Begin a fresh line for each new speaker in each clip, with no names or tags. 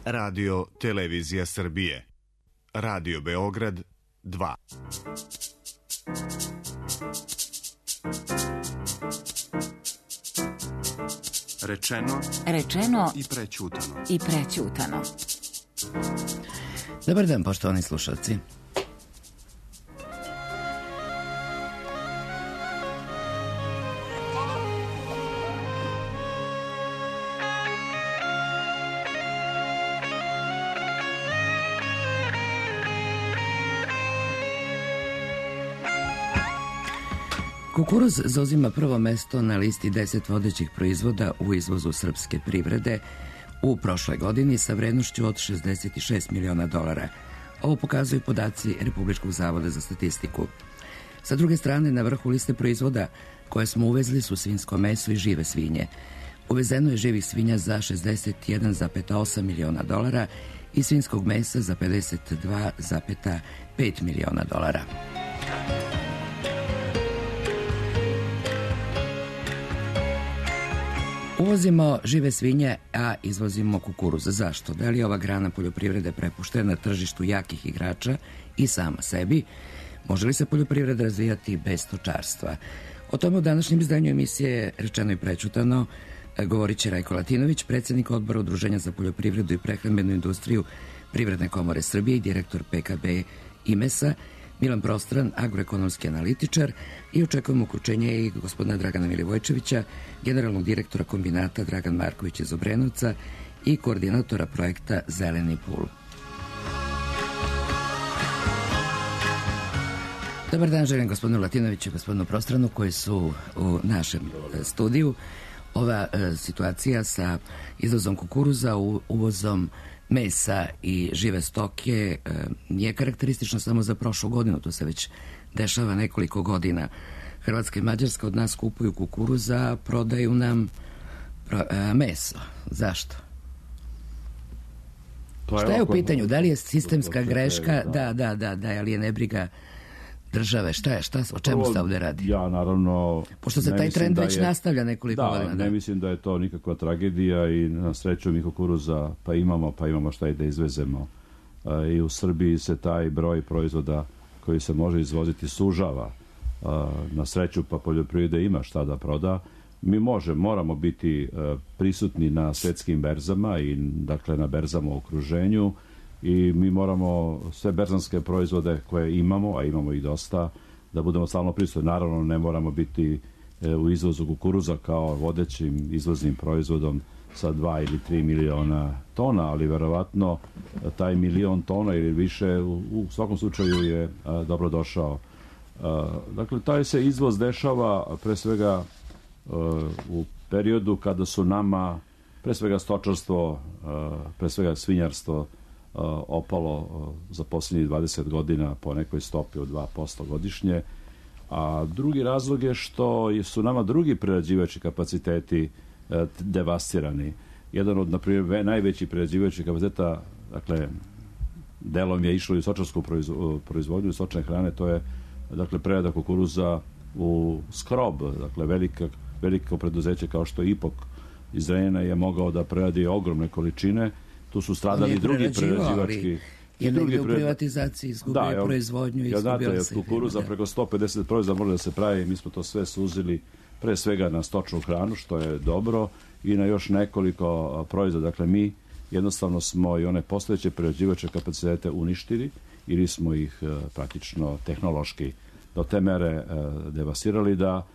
Radio Televizija Srbije. Radio Beograd 2.
Rečeno
i prećutano.
Dobar dan, poštovani slušalci. Kukuruz zauzima prvo mesto na listi 10 vodećih proizvoda u izvozu srpske privrede u prošloj godini sa vrednošću od $66 miliona. Ovo pokazuju podaci Republičkog zavoda za statistiku. Sa druge strane, na vrhu liste proizvoda koje smo uvezli su svinjsko meso i žive svinje. Uvezeno je živih svinja za $61,8 miliona i svinjskog mesa za $52,5 miliona. Uvozimo žive svinje, a izvozimo kukuruz. Zašto? Da li je ova grana poljoprivrede prepuštena na tržištu jakih igrača i sama sebi? Može li se poljoprivreda razvijati bez stočarstva? O tome u današnjem izdanju emisije Rečeno i prećutano govorit će Rajko Latinović, predsjednik odbora Udruženja za poljoprivredu i prehrambenu industriju Privredne komore Srbije i direktor PKB IMES-a, Milan Prostran, agroekonomski analitičar, i očekujemo uključenje i gospodina Dragana Milivojčevića, generalnog direktora kombinata Dragan Marković iz Obrenovca i koordinatora projekta Zeleni pul. Dobar dan, želim gospodinu Latinoviću i gospodinu Prostranu koji su u našem studiju. Ova situacija sa izvozom kukuruza, uvozom mesa i žive stoke nije karakteristična samo za prošlu godinu, to se već dešava nekoliko godina. Hrvatska i Mađarska od nas kupuju kukuruza, prodaju nam meso. Zašto? Šta je u pitanju? Da li je sistemska greška? Da, ali je nebriga države? O čemu se ovde radi?
Ja, naravno...
Pošto se taj trend već nastavlja nekoliko godina.
Ne mislim da je to nikakva tragedija i na sreću mi kukuruza pa imamo šta i da izvezemo. I u Srbiji se taj broj proizvoda koji se može izvoziti sužava. Na sreću pa poljoprivreda ima šta da proda. Mi moramo biti prisutni na svetskim berzama i dakle na berzama u okruženju i mi moramo sve berzanske proizvode koje imamo, a imamo ih dosta, da budemo stalno prisutni. Naravno, ne moramo biti u izvozu kukuruza kao vodećim izvoznim proizvodom sa 2 ili 3 miliona tona, ali verovatno taj milion tona ili više u svakom slučaju je dobro došao. Dakle, taj se izvoz dešava pre svega u periodu kada su nama pre svega stočarstvo, pre svega svinjarstvo opalo za posljednjih 20 godina po nekoj stopi od 2% godišnje, a drugi razlog je što su nama drugi prerađivački kapaciteti devastirani. Jedan od, na primjer, najvećih prerađivačkih kapaciteta, dakle, delom je išlo i u stočarsku proizvodnju stočne hrane, to je, dakle, prerada kukuruza u skrob, dakle, veliko preduzeće kao što je Ipok iz Zrenjanina je mogao da preradi ogromne količine. Tu su stradali drugi prerađivački...
Je negdje u privatizaciji izgubio proizvodnju i izgubio se...
Kukuruza preko 150 proizvoda može da se pravi, mi smo to sve suzili pre svega na stočnu hranu, što je dobro, i na još nekoliko proizvoda. Dakle, mi jednostavno smo i one postojeće prerađivačke kapacitete uništili ili smo ih praktično tehnološki do te mere devastirali da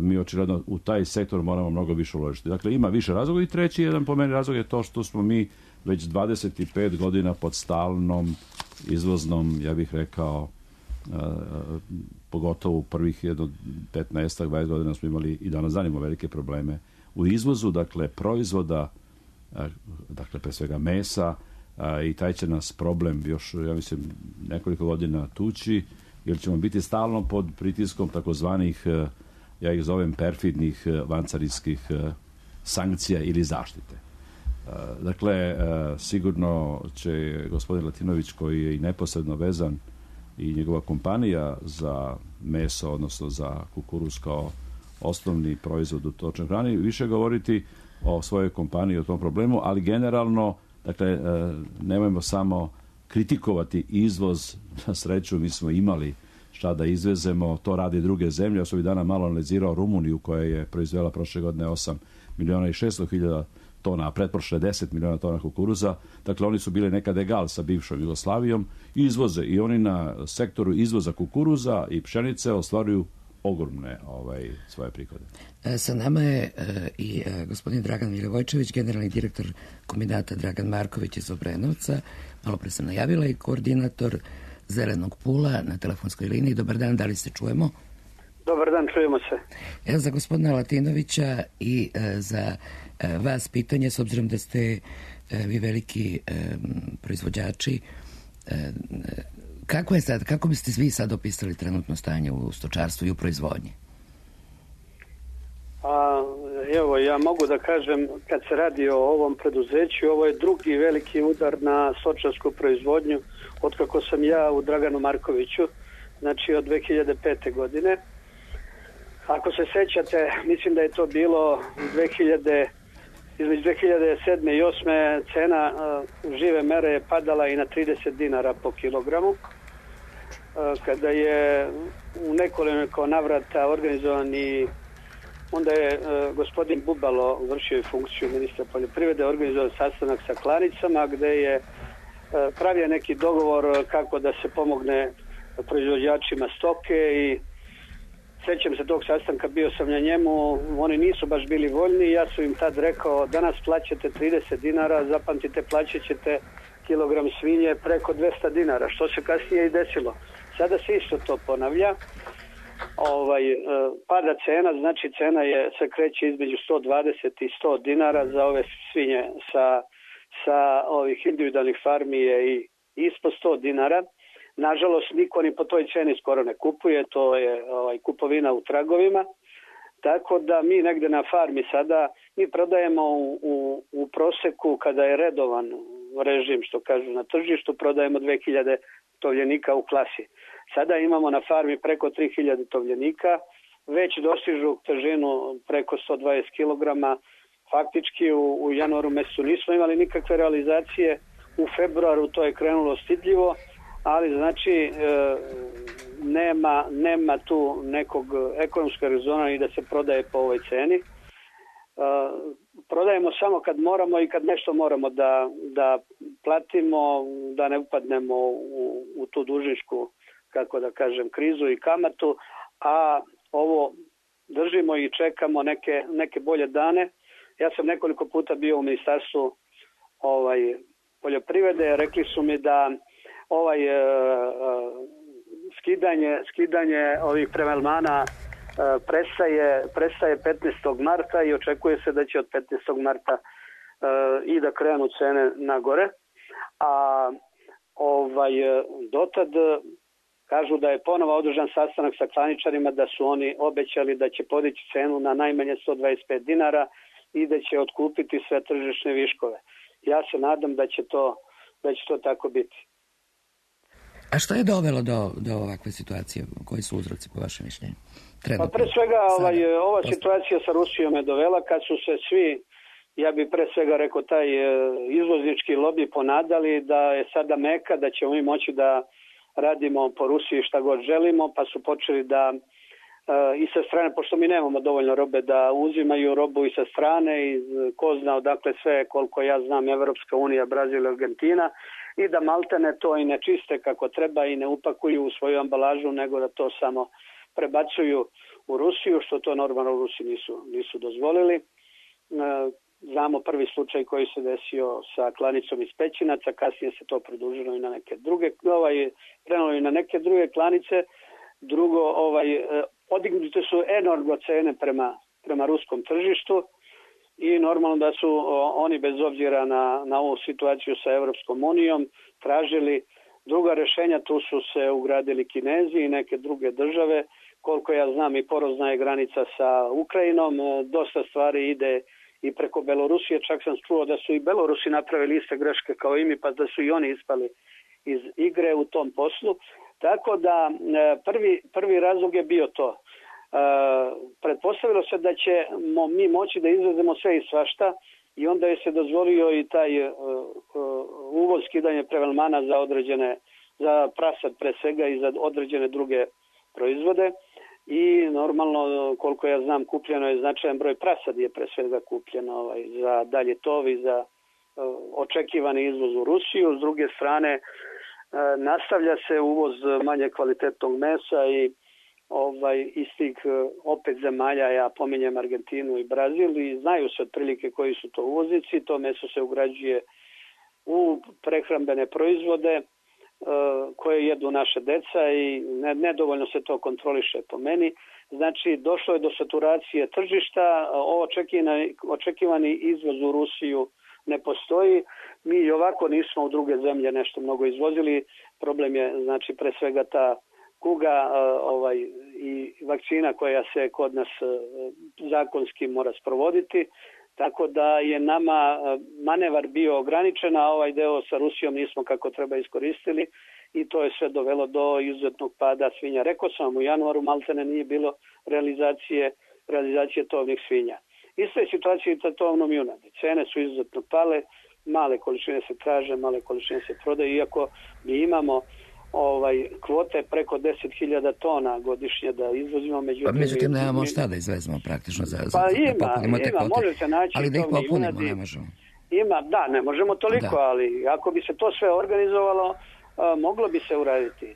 mi očigledno u taj sektor moramo mnogo više uložiti. Dakle, ima više razloga i treći jedan po meni razlog je to što smo mi već 25 godina pod stalnom izvoznom, ja bih rekao, pogotovo u prvih 15-20 godina smo imali i danas zanimo velike probleme u izvozu, dakle, proizvoda, dakle, pre svega mesa, i taj će nas problem još, ja mislim, nekoliko godina tući, jer ćemo biti stalno pod pritiskom takozvanih, ja ih zovem perfidnih vancarinskih sankcija ili zaštite. Dakle, sigurno će gospodin Latinović, koji je i neposredno vezan, i njegova kompanija za meso, odnosno za kukuruz kao osnovni proizvod u stočnoj hrani, više govoriti o svojoj kompaniji, o tom problemu, ali generalno Dakle, nemojmo samo kritikovati izvoz. Na sreću mi smo imali šta da izvezemo, to radi druge zemlje. Ja sam ovih dana malo analizirao Rumuniju koja je proizvela prošle godine 8.600.000 tona, a pretprošle 10 miliona tona kukuruza. Dakle, oni su bili nekad egal sa bivšom Jugoslavijom i izvoze. I oni na sektoru izvoza kukuruza i pšenice ostvaruju ogromne svoje prihode.
Sa nama je i gospodin Dragan Milivojčević, generalni direktor kombinata Dragan Marković iz Obrenovca. Malo pre sam najavila i koordinator Zelenog pula na telefonskoj liniji. Dobar dan, da li se čujemo?
Dobar dan, čujemo se.
Evo za gospodina Latinovića i za vas pitanje, s obzirom da ste vi veliki proizvođači, kako biste vi sad opisali trenutno stanje u stočarstvu i u proizvodnji?
Evo, ja mogu da kažem, kad se radi o ovom preduzeću, ovo je drugi veliki udar na stočarsku proizvodnju otkako sam ja u Draganu Markoviću, znači od 2005. godine. Ako se sećate, mislim da je to bilo između 2007. i 2008. cena žive mere je padala i na 30 dinara po kilogramu. Kada je u nekoliko navrata organizovan i onda je gospodin Bubalo vršio funkciju ministra poljoprivrede, organizovao sastanak sa klanicama gde je pravio neki dogovor kako da se pomogne proizvođačima stoke i sećam se tog sastanka, bio sam na njemu, oni nisu baš bili voljni, ja sam im tad rekao danas plaćate 30 dinara, zapamtite plaćat ćete kilogram svinje preko 200 dinara, što se kasnije i desilo. Sada se isto to ponavlja. Pada cena, znači cena se kreće između 120 i 100 dinara za ove svinje sa ovih individualnih farmi je i ispod 100 dinara. Nažalost, niko ni po toj ceni skoro ne kupuje, to je kupovina u tragovima. Tako da mi negde na farmi sada, mi prodajemo u proseku kada je redovan režim, što kažu na tržištu, prodajemo 2000 tovljenika u klasi. Sada imamo na farmi preko 3000 tovljenika, već dostižu težinu preko 120 kg. Faktički u januaru mesecu nismo imali nikakve realizacije, u februaru to je krenulo stidljivo, ali znači nema tu nekog ekonomskog rezona i da se prodaje po ovoj ceni. Prodajemo samo kad moramo i kad nešto moramo da platimo, da ne upadnemo u tu dužničku, kako da kažem, krizu i kamatu, a ovo držimo i čekamo neke bolje dane. Ja sam nekoliko puta bio u ministarstvu poljoprivrede, rekli su mi da skidanje ovih premelmana prestaje 15. marta i očekuje se da će od 15. marta i da krenu cene nagore. A dotad kažu da je ponovo održan sastanak sa klaničarima, da su oni obećali da će podići cenu na najmanje 125 dinara i da će otkupiti sve tržišne viškove. Ja se nadam da će to tako biti.
A što je dovelo do ovakve situacije? Koji su uzroci po vašem mišljenju?
Pa pre svega ova situacija sa Rusijom je dovela kad su se svi, ja bih pre svega rekao, taj izvoznički lobi ponadali da je sada meka, da ćemo mi moći da radimo po Rusiji šta god želimo, pa su počeli da i sa strane, pošto mi nemamo dovoljno robe, da uzimaju robu i sa strane, i ko zna odakle sve, koliko ja znam, Evropska unija, Brazil, Argentina, i da maltene to i ne čiste kako treba i ne upakuju u svoju ambalažu, nego da to samo prebacuju u Rusiju, što to normalno u Rusiji nisu dozvolili. Znamo prvi slučaj koji se desio sa klanicom iz Pećinaca, kasnije se to produžilo i na neke druge, krenulo i na neke druge klanice. Drugo, podignute su enormno cene prema ruskom tržištu i normalno da su oni bez obzira na ovu situaciju sa Evropskom unijom tražili druga rešenja. Tu su se ugradili Kinezi i neke druge države. Koliko ja znam, i porozna je granica sa Ukrajinom. Dosta stvari ide i preko Belorusije. Čak sam čuo da su i Belorusi napravili iste greške kao i mi, pa da su i oni ispali iz igre u tom poslu. Tako da prvi razlog je bio to. Pretpostavilo se da ćemo mi moći da izvezemo sve i svašta i onda je se dozvolio i taj uvoz, skidanje prevelmana za prasad pre svega i za određene druge proizvode. I normalno, koliko ja znam, kupljeno je značajan broj prasad je pre svega kupljeno za dalje tov i za očekivani izvoz u Rusiju. S druge strane, nastavlja se uvoz manje kvalitetnog mesa i iz tih opet zemalja, ja pominjem Argentinu i Brazil, i znaju se otprilike koji su to uvoznici. To meso se ugrađuje u prehrambene proizvode koje jedu naše deca i nedovoljno se to kontroliše po meni. Znači, došlo je do saturacije tržišta, očekivani izvoz u Rusiju ne postoji. Mi i ovako nismo u druge zemlje nešto mnogo izvozili. Problem je, znači, pre svega ta kuga i vakcina koja se kod nas zakonski mora sprovoditi. Tako da je nama manevar bio ograničen, a ovaj deo sa Rusijom nismo kako treba iskoristili i to je sve dovelo do izuzetnog pada svinja. Rekao sam, u januaru maltene nije bilo realizacije tovnih svinja. Ista je situacija i sa tovnom junadi. Cene su izuzetno pale, male količine se traže, male količine se prodaju, iako mi imamo kvote preko 10.000 tona godišnje da izvozimo.
Međutim, nemamo šta da izvezemo praktično za
ima, može se naći.
Ali da ih popunimo, ne možemo.
Da, ne možemo toliko, ali ako bi se to sve organizovalo, moglo bi se uraditi.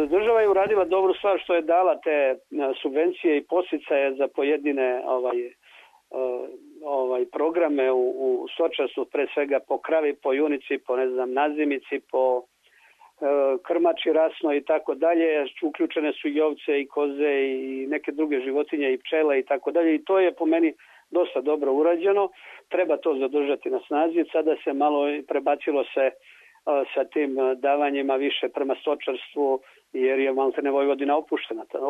Država je uradila dobru stvar što je dala te subvencije i podsticaje za pojedine programe u stočarstvu, pre svega po kravi, po junici, po nazimici, po krmači rasno i tako dalje. Uključene su i ovce i koze i neke druge životinje i pčela i tako dalje, i to je po meni dosta dobro urađeno. Treba to zadržati na snazi. Sada se malo prebacilo se sa tim davanjima više prema stočarstvu, jer je maltene Vojvodina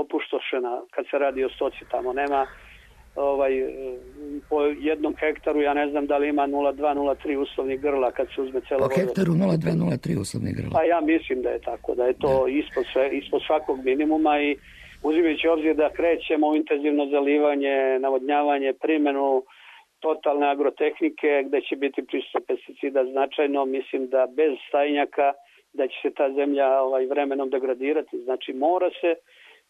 opustošena kad se radi o stoci. Tamo nema po jednom hektaru, ja ne znam da li ima 0,2-0,3 uslovnih grla kad se uzme celo.
Po hektaru 0,2-0,3 uslovnih grla.
Pa ja mislim da je tako, da je to ispod svakog minimuma, i uzimajući obzir da krećemo u intenzivno zalivanje, navodnjavanje, primjenu totalne agrotehnike gde će biti prisustvo pesticida značajno, mislim da bez stajnjaka da će se ta zemlja vremenom degradirati. Znači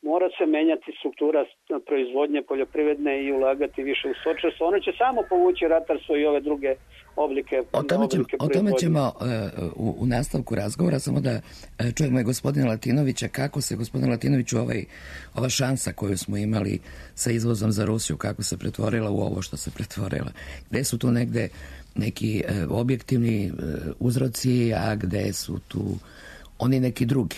mora se menjati struktura proizvodnje poljoprivredne i ulagati više u stočarstvo. Ono će samo povući ratarstvo i ove druge oblike proizvodnje.
O tome ćemo u nastavku razgovora, samo da čujemo i gospodina Latinovića, kako se, gospodin Latinoviću, ova šansa koju smo imali sa izvozom za Rusiju, kako se pretvorila u ovo što se pretvorila. Gde su tu negde neki objektivni uzroci, a gde su tu oni neki drugi?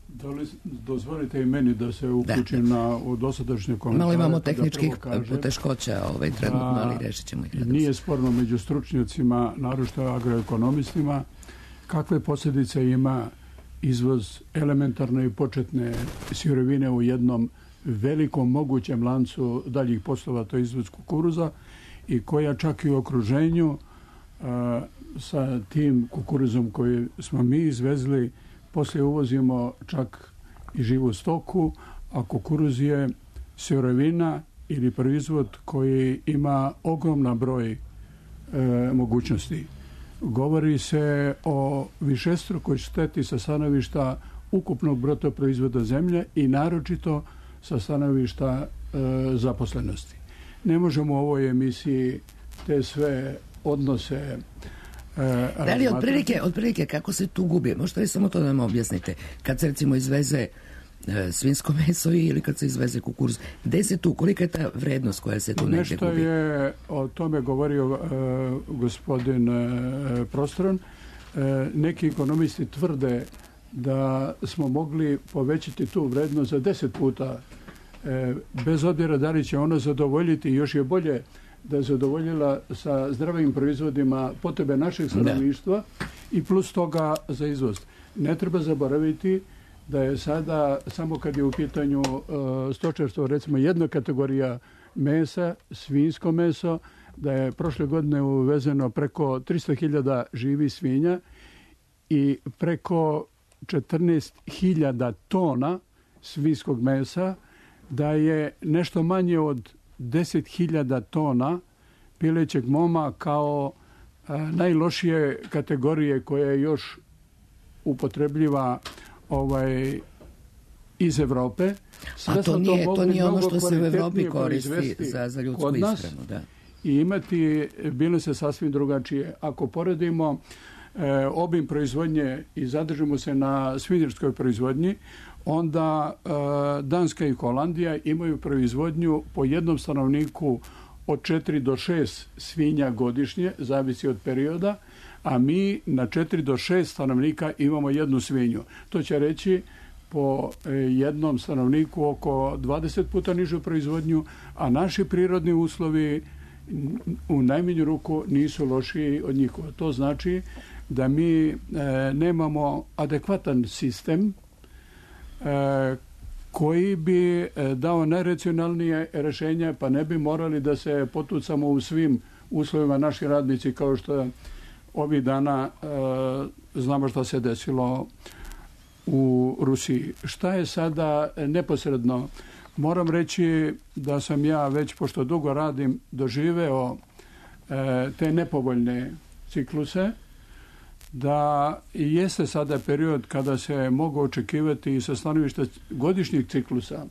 Da li dozvolite i meni da se uključim u dosadašnje komentare?
Malo imamo tehničkih poteškoća trenutno, ali rešit ćemo ih.
Nije sporno među stručnjacima, naročito agroekonomistima, kakve posljedice ima izvoz elementarne i početne sirovine u jednom velikom mogućem lancu daljih poslova, to je izvoz kukuruza, i koja čak i u okruženju sa tim kukuruzom koji smo mi izvezli poslije uvozimo čak i živu stoku, a kukuruz je sirovina ili proizvod koji ima ogroman broj mogućnosti. Govori se o višestrukoj šteti sa stanovišta ukupnog bruto proizvoda zemlje i naročito sa stanovišta zaposlenosti. Ne možemo u ovoj emisiji te sve odnose
da li otprilike kako se tu gubi? Možete li samo to da nam objasnite? Kad se recimo izveze svinjsko meso ili kad se izveze kukuruz, gde se tu, kolika je ta vrednost koja se tu negde gubi?
Nešto je o tome govorio gospodin Prostron. Neki ekonomisti tvrde da smo mogli povećati tu vrednost za 10 puta. Bez obzira da li će ono zadovoljiti, još je bolje da je zadovoljila sa zdravim proizvodima potrebe našeg stanovništva i plus toga za izvoz. Ne treba zaboraviti da je sada, samo kad je u pitanju stočarstvo, recimo jedna kategorija mesa, svinjsko meso, da je prošle godine uvezeno preko 300.000 živih svinja i preko 14.000 tona svinjskog mesa, da je nešto manje od 10.000 tona pilećeg moma kao najlošije kategorije koja je još upotrebljiva iz Evrope.
A to nije ono što se u Evropi koristi za ljudsku ishranu. Da.
I imati bile se sasvim drugačije. Ako poredimo obim proizvodnje i zadržimo se na svinjskoj proizvodnji, onda Danska i Holandija imaju proizvodnju po jednom stanovniku od 4 do 6 svinja godišnje, zavisi od perioda, a mi na 4 do 6 stanovnika imamo jednu svinju. To će reći po jednom stanovniku oko 20 puta nižu proizvodnju, a naši prirodni uslovi u najmanju ruku nisu lošiji od njihova. To znači da mi nemamo adekvatan sistem koji bi dao najracionalnije rješenje, pa ne bi morali da se potucamo u svim uslovima naši radnici, kao što ovih dana znamo šta se desilo u Rusiji. Šta je sada neposredno? Moram reći da sam ja već, pošto dugo radim, doživeo te nepovoljne cikluse, da jeste sada period kada se mogu očekivati sa stanovišta godišnjih ciklusa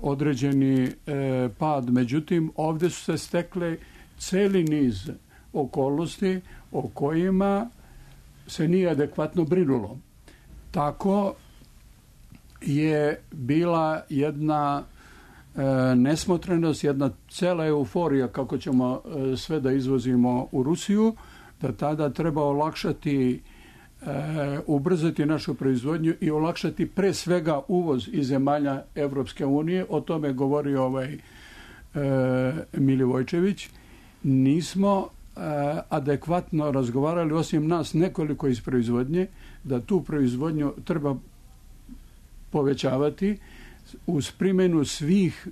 određeni pad. Međutim, ovdje su se stekle celi niz okolnosti o kojima se nije adekvatno brinulo. Tako je bila jedna nesmotrenost, jedna cela euforija kako ćemo sve da izvozimo u Rusiju, da tada treba olakšati, ubrzati našu proizvodnju i olakšati pre svega uvoz iz zemalja Evropske unije. O tome govori Milivojčević. Nismo adekvatno razgovarali, osim nas nekoliko iz proizvodnje, da tu proizvodnju treba povećavati uz primjenu svih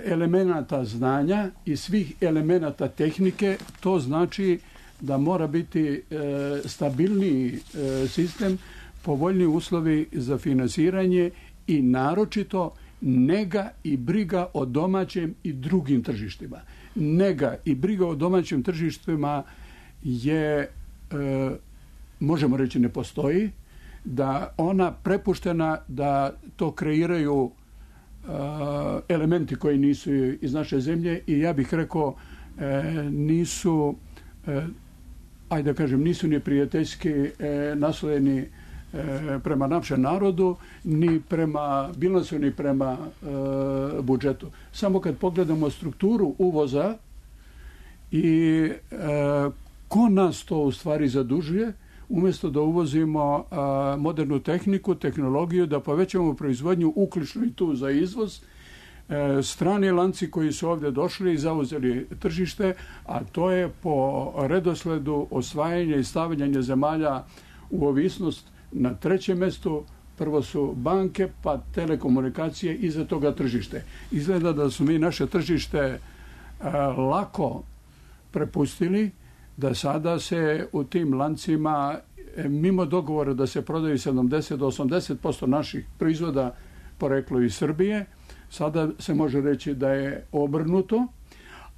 elemenata znanja i svih elemenata tehnike. To znači da mora biti stabilniji sistem, povoljniji uslovi za finansiranje i naročito nega i briga o domaćem i drugim tržištima. Nega i briga o domaćim tržištima je, možemo reći, ne postoji, da ona prepuštena da to kreiraju elementi koji nisu iz naše zemlje i ja bih rekao nisu nisu ni prijateljski naslojeni prema našem narodu, ni prema bilansu, ni prema budžetu. Samo kad pogledamo strukturu uvoza i ko nas to u stvari zadužuje, umjesto da uvozimo modernu tehniku, tehnologiju, da povećamo proizvodnju uključno i tu za izvoz, strani lanci koji su ovdje došli i zauzeli tržište, a to je po redosledu osvajanja i stavljanja zemalja u ovisnost na trećem mjestu. Prvo su banke, pa telekomunikacije, iza toga tržište. Izgleda da su mi naše tržište lako prepustili, da sada se u tim lancima, mimo dogovora da se prodaju 70 do 80% naših proizvoda poreklo iz Srbije, sada se može reći da je obrnuto,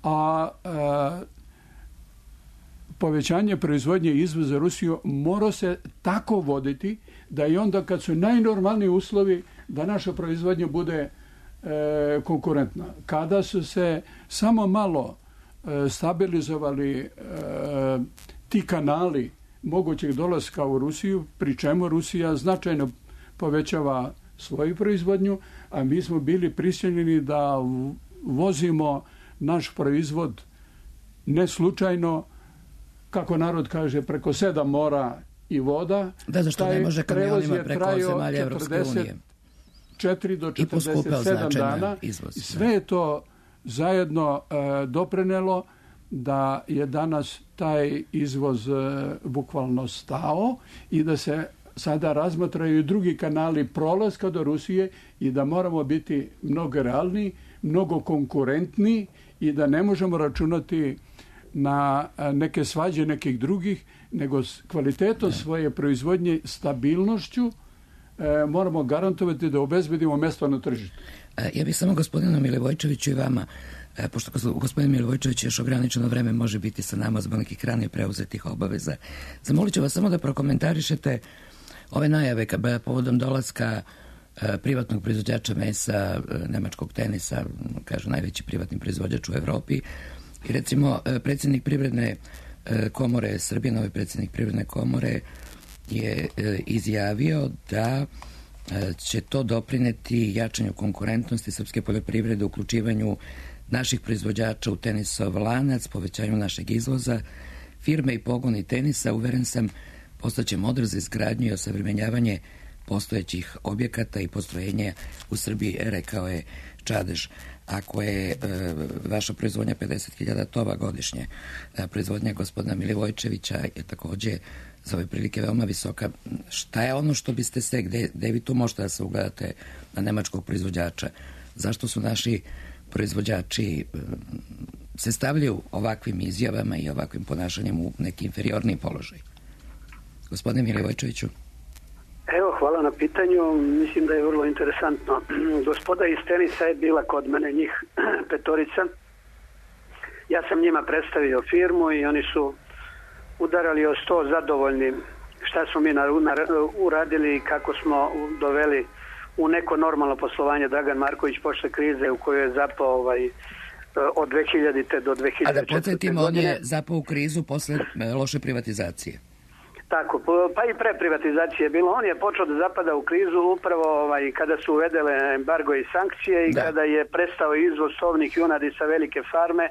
a povećanje proizvodnje i izvoza Rusiju mora se tako voditi da i onda kad su najnormalniji uslovi da naša proizvodnja bude konkurentna. Kada su se samo malo stabilizovali ti kanali mogućeg dolaska u Rusiju, pri čemu Rusija značajno povećava svoju proizvodnju, a mi smo bili prisiljeni da vozimo naš proizvod ne slučajno, kako narod kaže, preko 7 mora i voda.
Da, zašto ne može kamionima preko zemalja Evropske unije?
4 do 47 dana. Sve je to zajedno doprinelo da je danas taj izvoz bukvalno stao i da se sada razmatraju drugi kanali prolaska do Rusije i da moramo biti mnogo realniji, mnogo konkurentniji i da ne možemo računati na neke svađe nekih drugih, nego s kvalitetom svoje proizvodnje, stabilnošću moramo garantovati da obezbedimo mesto na tržištu.
Ja bih samo gospodinu Milivojčeviću i vama, pošto gospodin Milivojčević još ograničeno vreme može biti sa nama zbog nekih ranije preuzetih obaveza. Zamolit ću vas samo da prokomentarišete ove najave povodom dolaska privatnog proizvođača mesa, nemačkog Tenisa, kažu najveći privatni proizvođač u Evropi. I recimo predsjednik Privredne komore Srbije, novi predsjednik Privredne komore je izjavio da će to doprineti jačanju konkurentnosti srpske poljoprivrede, uključivanju naših proizvođača u Tenisov lanac, povećanju našeg izvoza. Firme i pogoni Tenisa, uveren sam, postaće model za izgradnju i osavremenjavanje postojećih objekata i postrojenja u Srbiji, rekao je Čadež. Ako je vaša proizvodnja 50.000 tova godišnje, proizvodnja gospodina Milivojčevića je takođe za ove prilike veoma visoka. Šta je ono što biste se, gde vi tu možete da se ugledate na nemačkog proizvođača? Zašto su naši proizvođači se stavljaju ovakvim izjavama i ovakvim ponašanjem u neki inferiorni položaj? Gospodine Milivojčeviću.
Evo, hvala na pitanju. Mislim da je vrlo interesantno. Gospoda iz Tenisa je bila kod mene, njih 5. Ja sam njima predstavio firmu i oni su udarali o sto zadovoljni šta smo mi uradili i kako smo doveli u neko normalno poslovanje Dragan Marković posle krize u kojoj je zapao od 2000. do 2004.
A da podsjetimo, on je zapao u krizu posle loše privatizacije.
Tako, pa i pre privatizacije je bilo. On je počeo da zapada u krizu upravo kada su uvedele embargo i sankcije i kada je prestao izvoz tovnih junadi sa velike farme,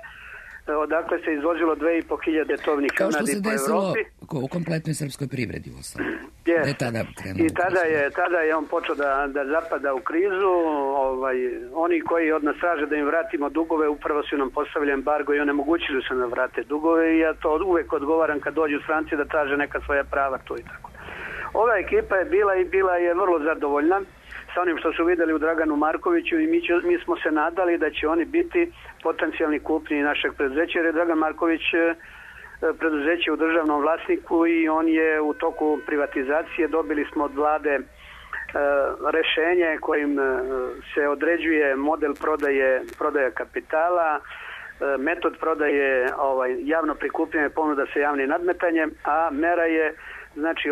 odakle se izvozilo 2.500 tovnih junadi po Evropi. Kao što se desilo
u kompletnoj srpskoj privredi u osnovu.
I tada je on počeo da zapada u krizu. Oni koji od nas traže da im vratimo dugove, upravo su nam postavili embargo i onemogućili su nam vrate dugove i ja to uvek odgovaram kad dođu stranci da traže neka svoja prava tu i tako. Ova ekipa je bila je vrlo zadovoljna sa onim što su videli u Draganu Markoviću i mi smo se nadali da će oni biti potencijalni kupnji našeg preduzeća, jer je Dragan Marković preduzeće u državnom vlasniku i on je u toku privatizacije. Dobili smo od vlade rešenje kojim se određuje model prodaje kapitala, metod prodaje javno prikupljanje ponuda sa javnim nadmetanjem, a mera je znači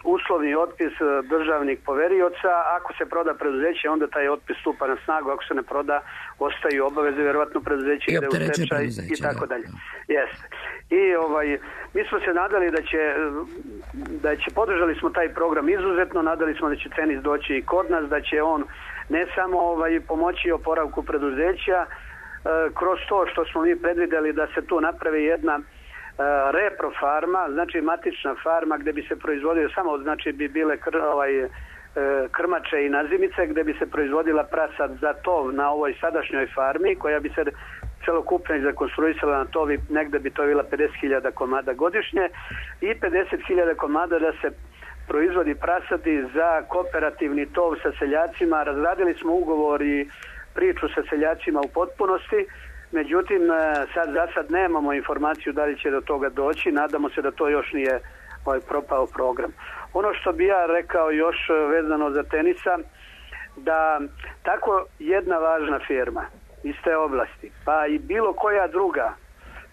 uslovni otpis državnih poverioca. Ako se proda preduzeće, onda taj otpis stupa na snagu, ako se ne proda, ostaju obaveze, vjerovatno preduzeće ide u stečaj i tako dalje. Jeste. I mi smo se nadali da će podržali smo taj program izuzetno, nadali smo da će Tenis doći i kod nas, da će on ne samo pomoći oporavku preduzeća kroz to što smo mi predvideli da se tu napravi jedna reprofarma, znači matična farma gde bi se proizvodio samo, znači bi bile krmače i nazimice, gde bi se proizvodila prasad za tov na ovoj sadašnjoj farmi koja bi se celokupno zakonstruisala na tovi, negde bi to bila 50.000 komada godišnje i 50.000 komada da se proizvodi prasadi za kooperativni tov sa seljacima. Razradili smo ugovor i priču sa seljacima u potpunosti. Međutim, za sad nemamo informaciju da li će do toga doći. Nadamo se da to još nije propao program. Ono što bi ja rekao još vezano za Tenisa, da tako jedna važna firma iz te oblasti, pa i bilo koja druga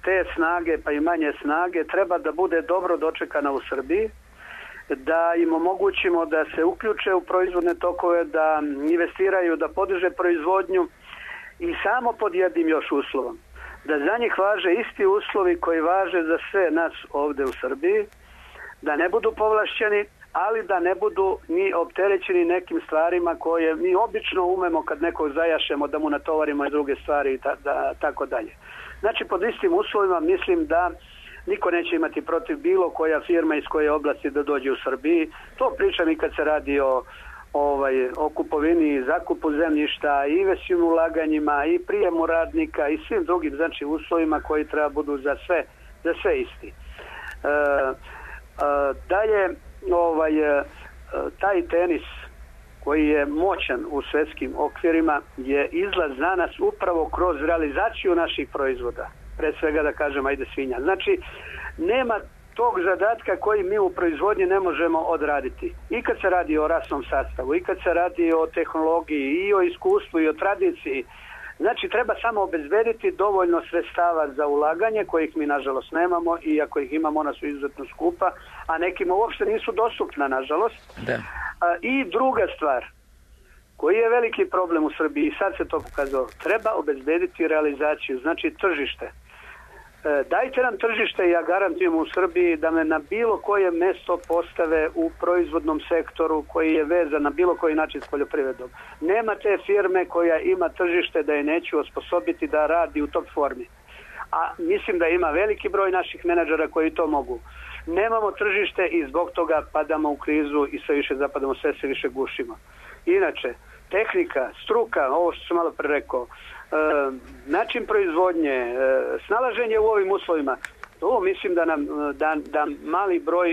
te snage, pa i manje snage, treba da bude dobro dočekana u Srbiji, da im omogućimo da se uključe u proizvodne tokove, da investiraju, da podiže proizvodnju, i samo pod jednim još uslovom, da za njih važe isti uslovi koji važe za sve nas ovde u Srbiji, da ne budu povlašćeni, ali da ne budu ni opterećeni nekim stvarima koje mi obično umemo kad nekog zajašemo da mu natovarimo i druge stvari i tako dalje. Znači pod istim uslovima mislim da niko neće imati protiv bilo koja firma iz koje oblasti da dođe u Srbiji. To pričam i kad se radi o kupovini i zakupu zemljišta, i investivnim ulaganjima, i prijemu radnika i svim drugim znači uslovima koji treba budu za sve isti. Dalje, taj tenis koji je moćan u svetskim okvirima je izlaz za nas upravo kroz realizaciju naših proizvoda. Pre svega da kažem, ajde svinja. Znači, nema tog zadatka koji mi u proizvodnji ne možemo odraditi. I kad se radi o rasnom sastavu, i kad se radi o tehnologiji, i o iskustvu, i o tradiciji. Znači, treba samo obezbediti dovoljno sredstava za ulaganje, kojih mi, nažalost, nemamo, i ako ih imamo, ona su izuzetno skupa, a nekima uopšte nisu dostupna, nažalost.
Da.
I druga stvar, koji je veliki problem u Srbiji, i sad se to pokazalo, treba obezbediti realizaciju, znači tržište. Dajte nam tržište i ja garantujem u Srbiji da me na bilo koje mesto postave u proizvodnom sektoru koji je vezan na bilo koji način s poljoprivredom. Nema te firme koja ima tržište da je neću osposobiti da radi u top formi. A mislim da ima veliki broj naših menadžera koji to mogu. Nemamo tržište i zbog toga padamo u krizu i sve više zapadamo, sve se više gušimo. Inače, tehnika, struka, ovo što sam malo pre rekao, način proizvodnje, snalaženje u ovim uslovima, to mislim da mali broj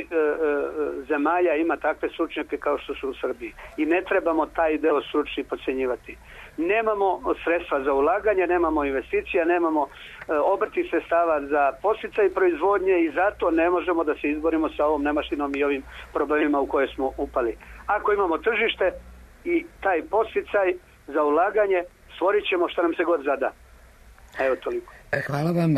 zemalja ima takve stručnjake kao što su u Srbiji. I ne trebamo taj deo stručni podcjenjivati. Nemamo sredstva za ulaganje, nemamo investicija, nemamo obrtnih sredstava za podsticaj proizvodnje i zato ne možemo da se izborimo sa ovom nemaštinom i ovim problemima u koje smo upali. Ako imamo tržište i taj podsticaj za ulaganje, stvorit ćemo što nam se god zada. Evo toliko.
Hvala vam,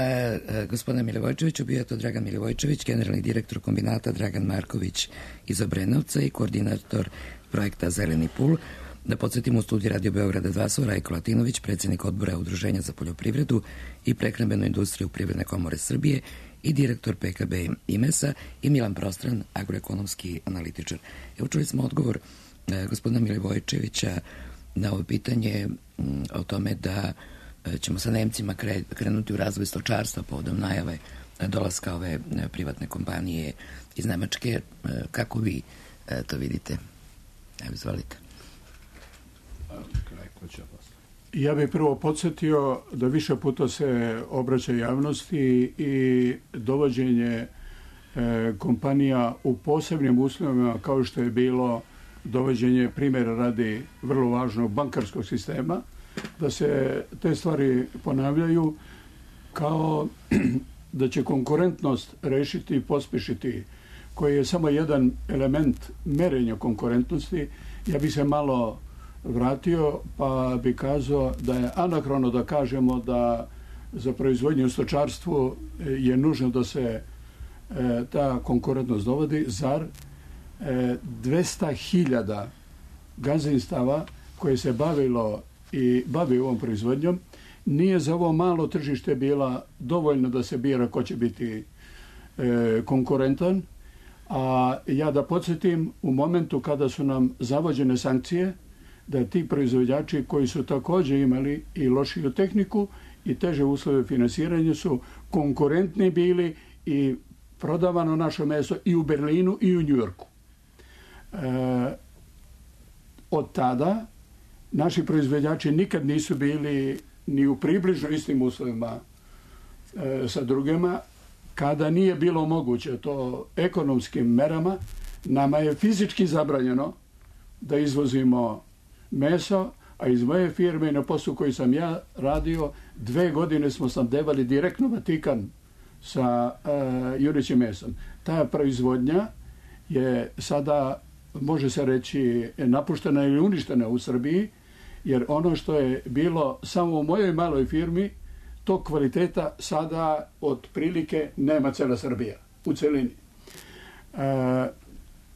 gospodine Milivojčeviću. Bio je to Dragan Milivojčević, generalni direktor kombinata Dragan Marković iz Obrenovca i koordinator projekta Zeleni pul. Da podsjetimo, u studiju Radio Beograda 2 su Rajko Latinović, predsjednik odbora Udruženja za poljoprivredu i prehrambenu industriju Privredne komore Srbije i direktor PKB IMES-a i Milan Prostran, agroekonomski analitičar. Evo, čuli smo odgovor gospodina Milivojčevića na ovo pitanje o tome da ćemo sa Nemcima krenuti u razvoj stočarstva povodom najave dolaska ove privatne kompanije iz Nemačke. Kako vi to vidite? Evo, izvolite.
Ja bih prvo podsjetio da više puta se obraća javnosti i dovođenje kompanija u posebnim uslovima kao što je bilo dovođenje, primjera radi, vrlo važnog bankarskog sistema, da se te stvari ponavljaju kao da će konkurentnost rešiti i pospešiti, koji je samo jedan element merenja konkurentnosti. Ja bih se malo vratio pa bih kazao da je anahrono da kažemo da za proizvodnju u stočarstvu je nužno da se ta konkurentnost dovodi. Zar 200.000 gazdinstava koje se bavilo i bavi ovom proizvodnjom nije za ovo malo tržište bila dovoljno da se bira ko će biti konkurentan. A ja da podsjetim, u momentu kada su nam zavođene sankcije, da ti proizvođači koji su također imali i lošiju tehniku i teže uslove finansiranja su konkurentni bili i prodavano naše meso i u Berlinu i u Njujorku. Od tada naši proizvođači nikad nisu bili ni u približno istim uslovima sa drugima. Kada nije bilo moguće to ekonomskim merama, nama je fizički zabranjeno da izvozimo meso, a iz moje firme na poslu koji sam ja radio 2 godine smo snabdevali direktno Vatikan sa junećim mesom. Ta proizvodnja je sada, može se reći, napuštena ili uništena u Srbiji, jer ono što je bilo samo u mojoj maloj firmi, tog kvaliteta sada otprilike nema cela Srbija u celini.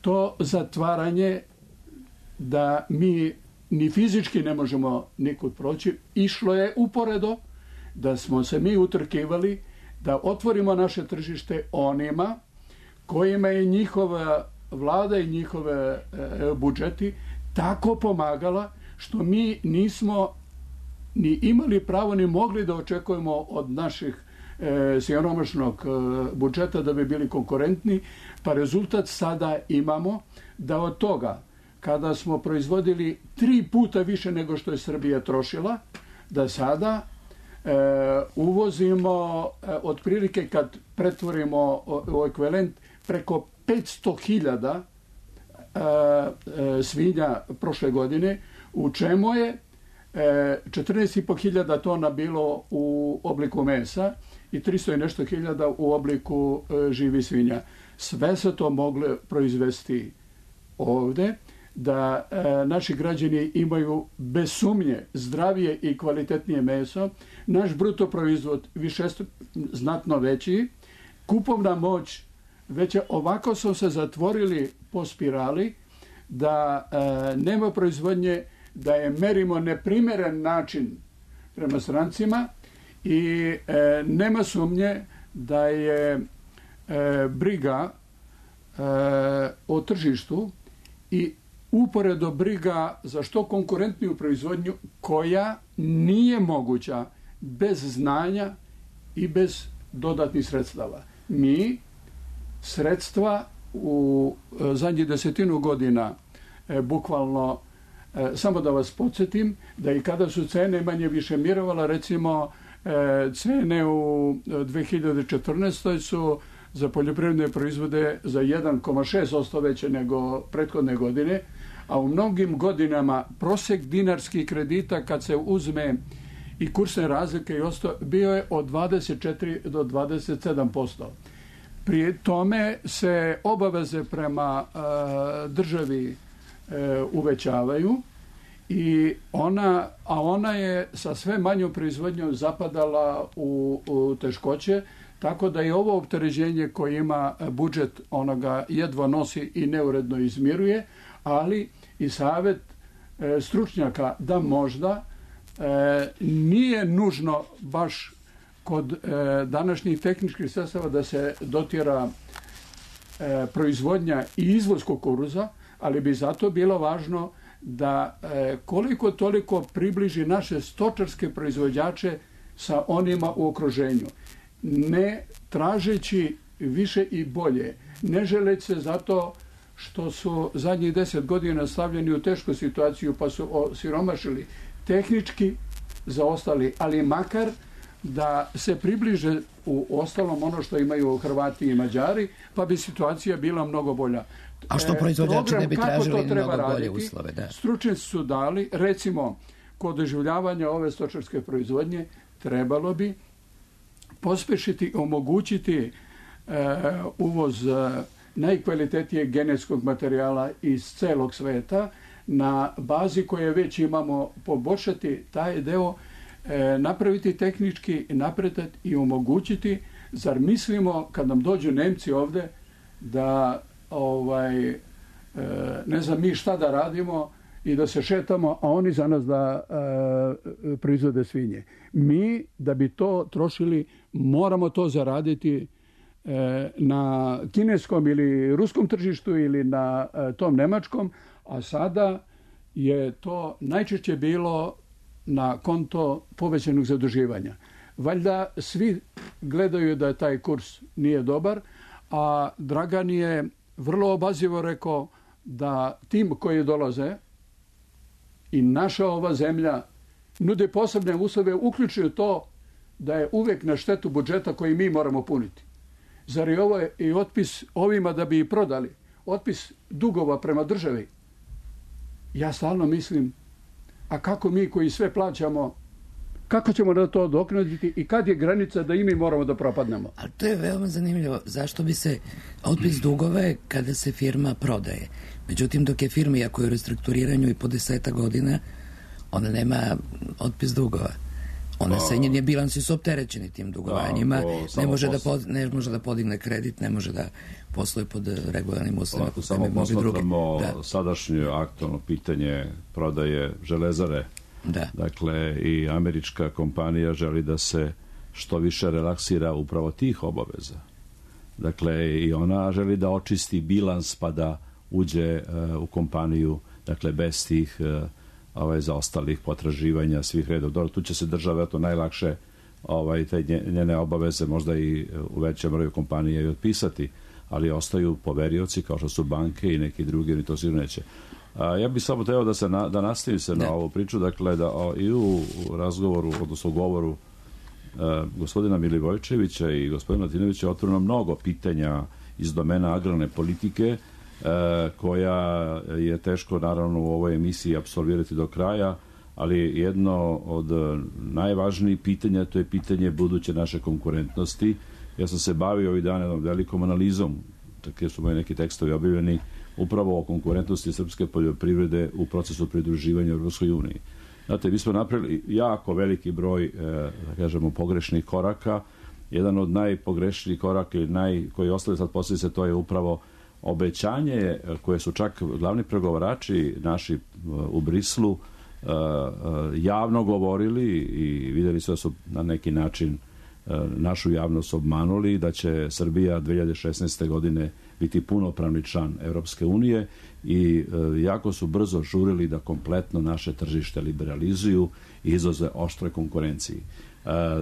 To zatvaranje da mi ni fizički ne možemo nikud proći, išlo je uporedo da smo se mi utrkivali da otvorimo naše tržište onima kojima je njihova vlada i njihove budžeti tako pomagala što mi nismo ni imali pravo ni mogli da očekujemo od naših siromašnog budžeta da bi bili konkurentni, pa rezultat sada imamo da od toga kada smo proizvodili 3 puta više nego što je Srbija trošila, da sada uvozimo otprilike kad pretvorimo u ekvivalent preko 500.000 svinja prošle godine, u čemu je 14.500 tona bilo u obliku mesa i 300 i nešto hiljada u obliku živih svinja. Sve se to moglo proizvesti ovde, da naši građani imaju bez sumnje zdravije i kvalitetnije meso, naš bruto proizvod znatno veći, kupovna moć veća. Ovako su se zatvorili po spirali da nema proizvodnje, da je merimo neprimeren način prema strancima i nema sumnje da je briga o tržištu i uporedo briga za što konkurentniju proizvodnju koja nije moguća bez znanja i bez dodatnih sredstava. Mi sredstva u zadnjih 10 godina bukvalno, samo da vas podsjetim, da i kada su cene manje više mirovala, recimo cene u 2014. su za poljoprivredne proizvode za 1,6% veće nego prethodne godine, a u mnogim godinama prosjek dinarskih kredita kad se uzme i kursne razlike i ostalo, bio je od 24 do 27%. Pri tome se obaveze prema državi uvećavaju i ona je sa sve manjom proizvodnjom zapadala u teškoće, tako da je ovo opterećenje koje ima budžet, onoga jedva nosi i neuredno izmiruje, ali i savjet stručnjaka da možda nije nužno baš kod današnjih tehničkih sredstava da se dotjera proizvodnja i izvoz kukuruza, ali bi zato bilo važno da koliko toliko približi naše stočarske proizvođače sa onima u okruženju. Ne tražeći više i bolje, ne želeći se zato što su zadnjih 10 godina stavljeni u tešku situaciju pa su osiromašili, tehnički zaostali, ali makar da se približe u ostalom ono što imaju Hrvati i Mađari, pa bi situacija bila mnogo bolja.
A što proizvođači ne bi tražili mnogo bolje uslove? Da.
Stručnjaci su dali, recimo, kod doživljavanja ove stočarske proizvodnje trebalo bi pospešiti, omogućiti uvoz najkvalitetnijeg genetskog materijala iz celog sveta na bazi koje već imamo, poboljšati taj deo, napraviti tehnički napredak i omogućiti. Zar mislimo kad nam dođu Nemci ovde da ne znam mi šta da radimo i da se šetamo, a oni za nas da proizvode svinje. Mi da bi to trošili moramo to zaraditi na kineskom ili ruskom tržištu ili na tom nemačkom, a sada je to najčešće bilo na konto povećanog zaduživanja. Valjda svi gledaju da taj kurs nije dobar, a Dragan je vrlo obazrivo rekao da tim koji dolaze i naša ova zemlja nude posebne uslove, uključuju to da je uvek na štetu budžeta koji mi moramo puniti. Zar je ovo i otpis ovima da bi i prodali? Otpis dugova prema državi? Ja stalno mislim, a kako mi koji sve plaćamo, kako ćemo da to doknaditi i kad je granica da i mi moramo da propadnemo?
Ali to je veoma zanimljivo. Zašto bi se otpis dugove kada se firma prodaje? Međutim, dok je firma, iako je u restrukturiranju i po 10 godina, ona nema otpis dugova. Ona se njeni bilansi su opterećeni tim dugovanjima, ne može da podigne kredit, ne može da posluje pod regularnim uslovima.
Samo posmatramo sadašnje aktualno pitanje prodaje Železare.
Da.
Dakle, i američka kompanija želi da se što više relaksira upravo tih obaveza. Dakle, i ona želi da očisti bilans pa da uđe u kompaniju, dakle, bez tih zaostalih potraživanja svih redova. Dobro, tu će se država najlakše te njene obaveze možda i u većem broju kompanija i otpisati, ali ostaju poverioci kao što su banke i neki drugi, oni to sigurno neće. Ja bih samo trebao da nastavim se na ovu priču, dakle da i u razgovoru, odnosno u govoru gospodina Milivojčevića i gospodina Latinovića je otvoreno mnogo pitanja iz domena agrarne politike koja je teško naravno u ovoj emisiji apsolvirati do kraja, ali jedno od najvažnijih pitanja, to je pitanje buduće naše konkurentnosti. Ja sam se bavio ovih dana jednom velikom analizom, tako su moji neki tekstovi objavljeni, upravo o konkurentnosti srpske poljoprivrede u procesu pridruživanja Europskoj uniji. Znate, mi smo napravili jako veliki broj, da kažemo, pogrešnih koraka. Jedan od najpogrešnijih koraka koji ostali sad posljedice, to je upravo obećanje koje su čak glavni pregovarači naši u Brislu javno govorili i vidjeli su da su na neki način našu javnost obmanuli, da će Srbija 2016. godine biti punopravni član Europske unije i jako su brzo žurili da kompletno naše tržište liberalizuju i izlaze oštroj konkurenciji.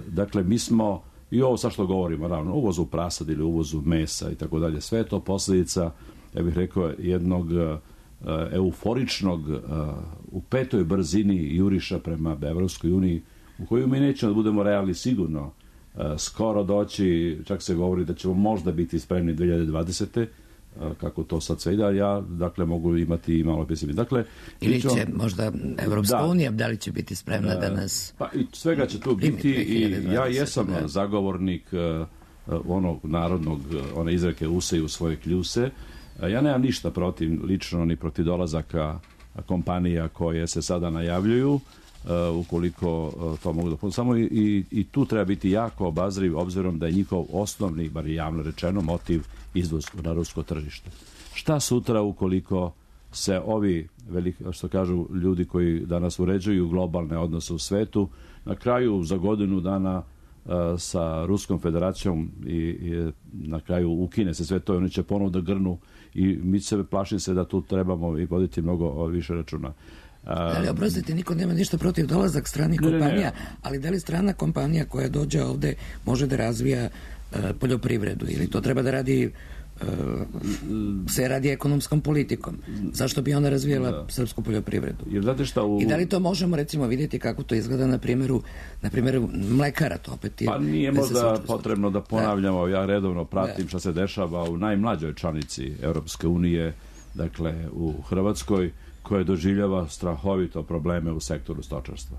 Dakle, mi smo, i ovo sa što govorimo, naravno, uvozu prasad ili uvozu mesa i tako dalje, sve je to posljedica, ja bih rekao, jednog euforičnog u petoj brzini juriša prema Evropskoj uniji, u koju mi nećemo da budemo realni sigurno skoro doći, čak se govori da ćemo možda biti spremni 2020. Kako to sad sve ide, ja dakle mogu imati i malo pesimizma. Dakle,
ili će možda Evropska unija, da li će biti spremna da nas
pa i svega će tu biti i ja jesam zagovornik onog narodnog, one izreke useju svoje kljuse. Ja nemam ništa protiv, lično ni protiv dolazaka kompanija koje se sada najavljuju, ukoliko to mogu da... Samo i tu treba biti jako obazriv, obzirom da je njihov osnovni, bar javno rečeno, motiv izvoz na rusko tržište. Šta sutra ukoliko se ovi, što kažu ljudi koji danas uređuju globalne odnose u svetu, na kraju za godinu dana sa Ruskom federacijom i na kraju ukine se sve to i oni će ponovno da grnu i mi se plašim se da tu trebamo i voditi mnogo više računa.
Ali oprostite, niko nema ništa protiv dolazak stranih kompanija, ali da li strana kompanija koja dođe ovde može da razvija poljoprivredu ili to treba da radi se radi ekonomskom politikom? Zašto bi ona razvijala srpsku poljoprivredu? I da li to možemo recimo vidjeti kako to izgleda na primjeru mlekara? To opet je,
pa nije možda potrebno da ponavljamo, ja redovno pratim šta se dešava u najmlađoj članici Europske unije, dakle u Hrvatskoj, koja doživljava strahovito probleme u sektoru stočarstva.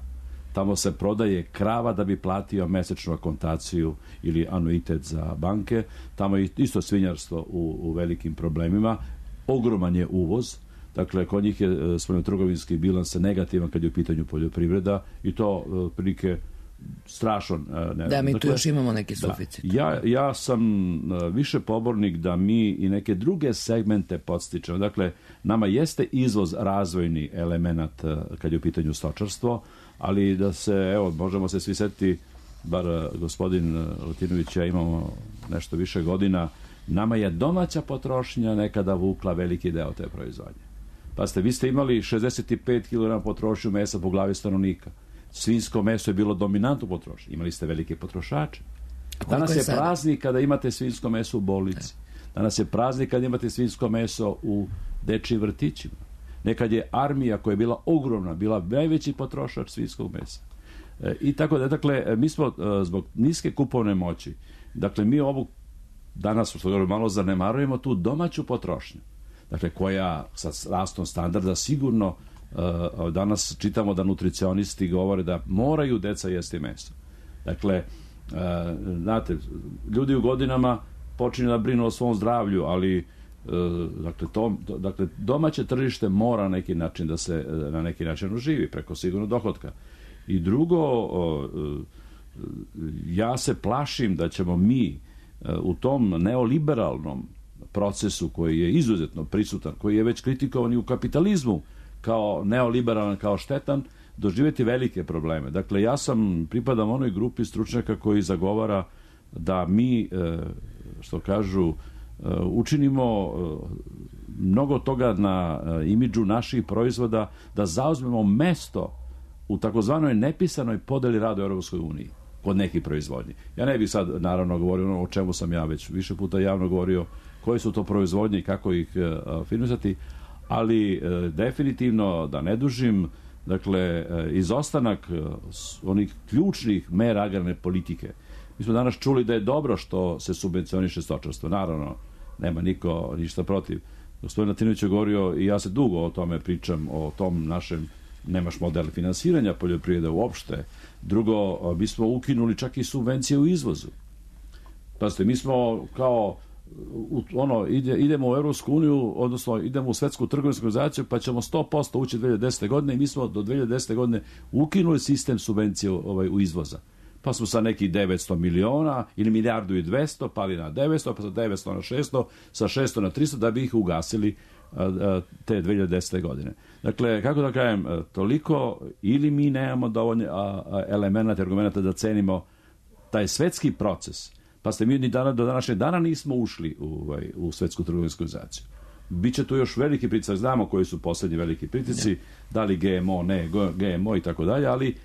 Tamo se prodaje krava da bi platio mesečnu akontaciju ili anuitet za banke. Tamo je isto svinjarstvo u velikim problemima. Ogroman je uvoz. Dakle, kod njih je spoljnotrgovinski bilans negativan kad je u pitanju poljoprivreda i to prilike strašan.
Da, mi tu još imamo neki suficit.
Ja sam više pobornik da mi i neke druge segmente podstičemo. Dakle, nama jeste izvoz razvojni element kad je u pitanju stočarstvo, ali da se, evo, možemo se svi setiti, bar gospodin Latinović, ja imamo nešto više godina, nama je domaća potrošnja nekada vukla veliki deo te proizvodnje. Pa vi ste imali 65 kg potrošnju mesa po glavi stanovnika. Svinjsko meso je bilo dominantno potrošnje. Imali ste velike potrošače. Danas je praznik kada imate svinjsko meso u bolnici. Danas je praznik kada imate svinjsko meso u dečjim vrtićima. Nekad je armija koja je bila ogromna, bila najveći potrošač svinjskog mesa. I tako da, dakle, mi smo zbog niske kupovne moći, dakle, mi ovu danas, što govorimo, malo zanemarujemo tu domaću potrošnju. Dakle, koja sa rastom standarda sigurno danas čitamo da nutricionisti govore da moraju deca jesti meso. Dakle, znate, ljudi u godinama počinju da brinu o svom zdravlju, ali dakle, domaće tržište mora na neki način da se na neki način oživi preko sigurno dohotka. I drugo, ja se plašim da ćemo mi u tom neoliberalnom procesu koji je izuzetno prisutan, koji je već kritikovan i u kapitalizmu kao neoliberalan, kao štetan, doživjeti velike probleme. Dakle, ja pripadam onoj grupi stručnjaka koji zagovara da mi, što kažu, učinimo mnogo toga na imidžu naših proizvoda, da zauzmemo mesto u takozvanoj nepisanoj podeli rada u Europskoj uniji kod nekih proizvodnji. Ja ne bih sad naravno govorio o čemu sam ja već više puta javno govorio, koje su to proizvodnje i kako ih finansirati, ali definitivno, da ne dužim, dakle, izostanak onih ključnih mera agrarne politike. Mi smo danas čuli da je dobro što se subvencioniše stočarstvo. Naravno, nema niko ništa protiv. Gospodin Latinović je govorio, i ja se dugo o tome pričam, o tom našem nemaš model finansiranja poljoprivrede uopšte. Drugo, mi smo ukinuli čak i subvencije u izvozu. Pazite, mi smo kao idemo u Europsku uniju, odnosno idemo u Svetsku trgovinsku organizaciju, pa ćemo 100% ući 2010. godine i mi smo do 2010. godine ukinuli sistem subvencije u izvoza. Pa smo sa nekih 900 miliona ili milijardu i 200 pali na 900, pa sa 900 na 600, sa 600 na 300 da bi ih ugasili te 2010. godine. Dakle, kako da kažem, toliko ili mi nemamo dovoljno elemenata, argumenta da cenimo taj svetski proces. Pa ste mi ni do današnjeg dana nismo ušli u Svetsku trgovinsku organizaciju. Biće tu još veliki pritisak, znamo koji su poslednji veliki pritisci, da li GMO, ne GMO i tako dalje, ali